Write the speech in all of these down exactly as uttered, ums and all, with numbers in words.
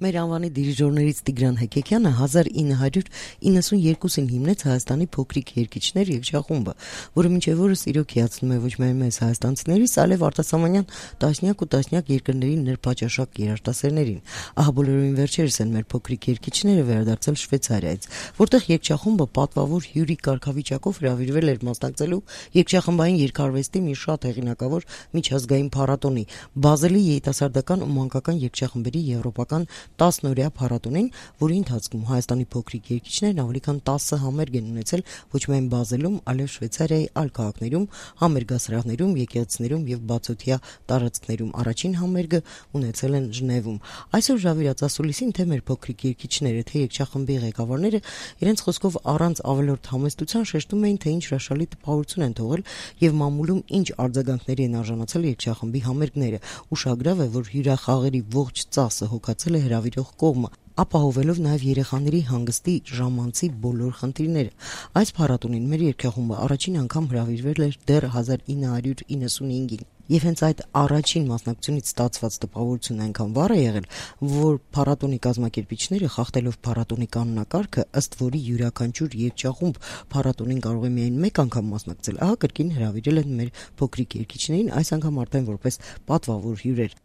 Մեր անվանի դիրիժորներից Տիգրան Հեկեկյանը հազար ինը հարյուր իննսունյերկուսին հիմնեց Հայաստանի փոքրիկ երգիչներ երգչախումբը, որը մինչև օրս իրոք հիացնում է ոչ միայն մեզ հայաստանցիներից, այլև արտասահմանյան տասնյակ ու տասնյակ երկրների նրբաճաշակ երաժշտասերներին։ Ահա բոլորովին վերջերս են մեր փոքրիկ երգիչները վերադարձել Շվեյցարիայից, որտեղ երգչախումբը պատվավոր հյուրի կարգավիճակով հրավիրվել էր մասնակցելու երգչախմբային երգարվեստի մի շատ հեղինակավոր միջազգային փառատոնի՝ Բազելի երիտասարդական ու մանկական երգչախմբերի եվրոպական տասնօրյա փառատոնին, որի ընթացքում Հայաստանի փոքրիկ երգիչներն ավելի քան տասը համերգ են ունեցել ոչ միայն Բազելում, այլև Շվեյցարիայի այլ քաղաքներում, համերգասրահներում, եկեղեցիներում եւ բացօթյա տարածքներում։ Առաջին համերգը ունեցել են Ժնևում։ Այսօր հրավիրած ասուլիսին թե մեր փոքրիկ երգիչները, թե երգչախմբի ղեկավարները իրենց խոսքով առանց ավելորդ համեստության շեշտում էին, թե ինչ հրաշալի տպավորություն են թողել եւ մամուլում ինչ արձագանքների են արժանացել երգչախմբի համերգները։ Ուշագրավ է, որ հյուրախաղերի ողջ ծասը հոգացել է հրավիրող կողմը, ապահովելով նաև երեխաների հանգստի ժամանցի բոլոր խնդիրները։ Այս փառատոնին մեր երգչախումբը առաջին անգամ հրավիրվել էր դեռ հազար ինը հարյուր իննսունհինգին։ Եվ հենց այդ առաջին մասնակցությունից ստացված տպավորությունն այնքան վառ է եղել, որ փառատոնի կազմակերպիչները, խախտելով փառատոնի կանոնակարգը, ըստ որի յուրաքանչյուր երգչախումբ փառատոնին կարող է միայն մեկ անգամ մասնակցել, ահա կրկին հրավիրել են մեր փոքրիկ երգիչներին, այս անգամ արդեն որպես պատվավոր հյուրեր։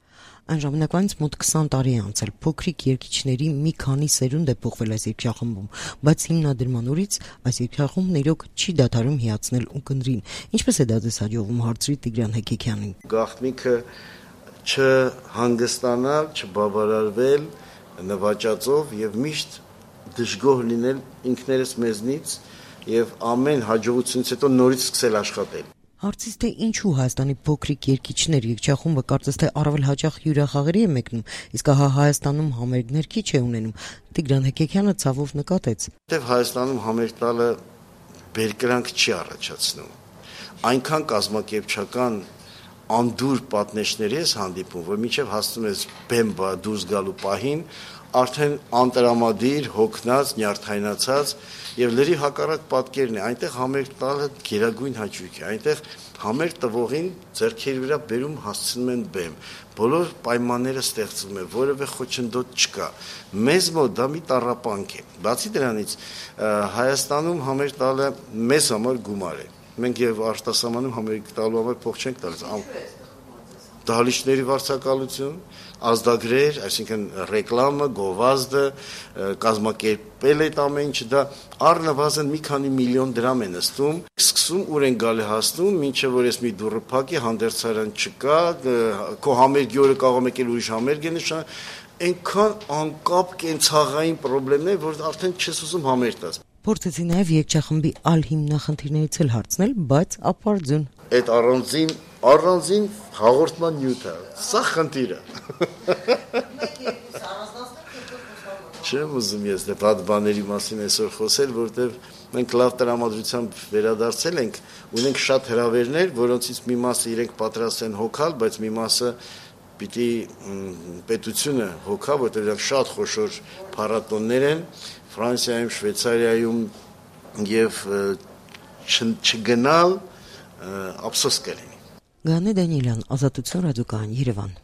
Այն ժամանակվանից մոտ քսան տարի է անցել, փոքրիկ երգիչների մի քանի սերունդ է փոխվել այս երգչախմբում, բայց հիմնադրման օրից այս երգչախումբն իրոք չի դադարում հիացնել ու կնդրին։ Ինչպես է դա ձեզ հաջողվում, հարցրի Տիգրան Հեկեկյանին։ Գաղտնիքը չհանգստանալ, չբավարարվել նվաճածով եւ միշտ դժգոհ լինել ինքներս մեզնից եւ ամեն հաջողությունից հետո նորից սկսել աշխատել։ Հարցից թե ինչու Հայաստանի փոքրիկ երգիչներ երգչախումբը կարծես թե առավել հաճախ հյուրախաղերի է մեկնում, իսկ ահա Հայաստանում համերգներ քիչ է ունենում, Տիգրան Հեկեկյանը ցավով նկատեց։ Որտեւ Հայաստանում համերգ տալը բերկրանք չի առաջացնում։ Այնքան կազմակերպչական անդուր պատնեշների ես հանդիպում, որ մինչև հասնում ես բեմ դուրս գալու պահին, արդեն անտրամադիր, հոգնած, նյարդայնացած եւ լրի հակառակ պատկերն է։ Այնտեղ համերգ տալը գերագույն հաճույք է։ Այնտեղ համերգ տվողին ձեռքերի վրա բերում հասցնում են բեմ։ Բոլոր պայմանները ստեղծվում են, որևէ խոչընդոտ չկա։ Մեզ մոտ դա մի տառապանք է։ Բացի դրանից, Հայաստանում համերգ տալը մեզ համար գումար է։ Մենք եւ արտասահմանում համերգ տալու համար փող չենք տալիս։ Դահլիճների վարձակալություն, ազդագրեր, այսինքն ռեկլամը, գովազդը, կազմակերպել այդ ամեն ինչը, դա առնվազն մի քանի միլիոն դրամ է նստում։ Սկսում ուր են գալի հասնում, մինչև որ ես մի դուռը փակի, հանդերձարան չկա, քո համերգի օրը կարող եկել ուրիշ համերգ է նշան, այնքան անկապ կենցաղային խնդիրներ, որ արդեն չես ուզում համերգ տաս։ Փորձեցի նաև երգչախմբի այլ հիմնախնդիրներից էլ հարցնել, բայց ապարդյուն։ Այդ առանձին առանձին հաղորդման նյութը, սա խնդիրը։ Չեմ ուզում ես այդ բաների մասին այսօր խոսել, որտեղ մենք լավ տրամադրությամբ վերադարձել ենք, ունենք շատ հրավերներ, որոնցից մի մասը իրենք պատրաստ են հոգալ, բայց մի մասը պիտի պետությունը հոգա, որտեղ դրանք շատ խոշոր փառատոններ են Ֆրանսիայում, Շվեյցարիայում եւ չգնալ ափսոս կլինի։ Գանե Դանիելյան, Ազատություն ռադիոկայան, Երևան։